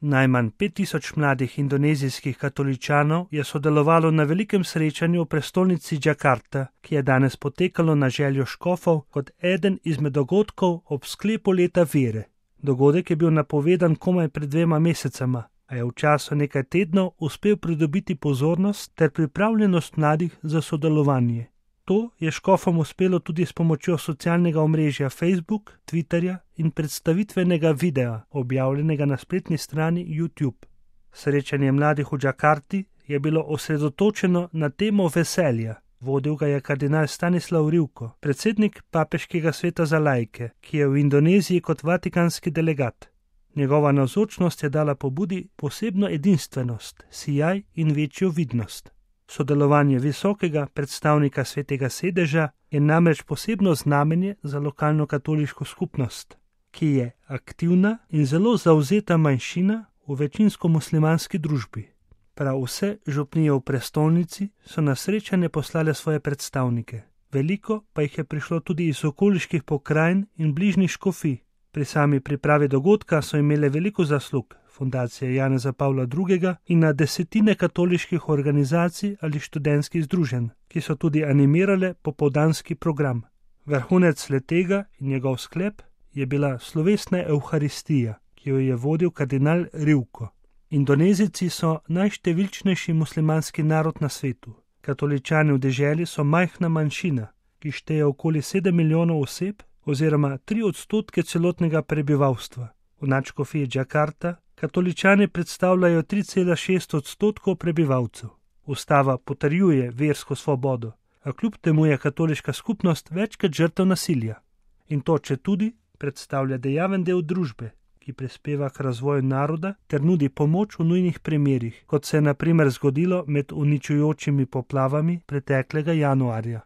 Najmanj 5000 mladih indonezijskih katoličanov je sodelovalo na velikem srečanju v prestolnici Džakarta, ki je danes potekalo na željo škofov kot eden izmed dogodkov ob sklepu leta vere. Dogodek je bil napovedan komaj pred 2 mesecema, a je v času nekaj tednov uspel pridobiti pozornost ter pripravljenost mladih za sodelovanje. To je škofom uspelo tudi s pomočjo socialnega omrežja Facebook, Twitterja in predstavitvenega videa, objavljenega na spletni strani YouTube. Srečanje mladih v Džakarti je bilo osredotočeno na temo veselja. Vodil ga je kardinal Stanislav Rivko, predsednik Papeškega sveta za laike, ki je v Indoneziji kot vatikanski delegat. Njegova navzočnost je dala pobudi posebno edinstvenost, sijaj in večjo vidnost. Sodelovanje visokega predstavnika Svetega sedeža je namreč posebno znamenje za lokalno katoliško skupnost, ki je aktivna in zelo zavzeta manjšina v večinsko muslimanski družbi. Prav vse župnije v prestolnici so na srečanje poslale svoje predstavnike. Veliko pa jih je prišlo tudi iz okoliških pokrajin in bližnjih škofij. Pri sami pripravi dogodka so imele veliko zaslug Fundacije Janeza Pavla II. In na desetine katoliških organizacij ali študentskih združenj, ki so tudi animirale popoldanski program. Vrhunec letega in njegov sklep je bila slovesna evharistija, ki jo je vodil kardinal Rivko. Indonezijci so najštevilčnejši muslimanski narod na svetu. Katoličani v deželi so majhna manjšina, ki šteje okoli 7 milijonov oseb oziroma 3% celotnega prebivalstva. V nadškofiji Džakarta katoličani predstavljajo 3,6% prebivalcev. Ustava potrjuje versko svobodo, a kljub temu je katoliška skupnost večkrat žrtev nasilja. In to četudi predstavlja dejaven del družbe, ki prispeva k razvoju naroda ter nudi pomoč v nujnih primerih, kot se je na primer zgodilo med uničujočimi poplavami preteklega januarja.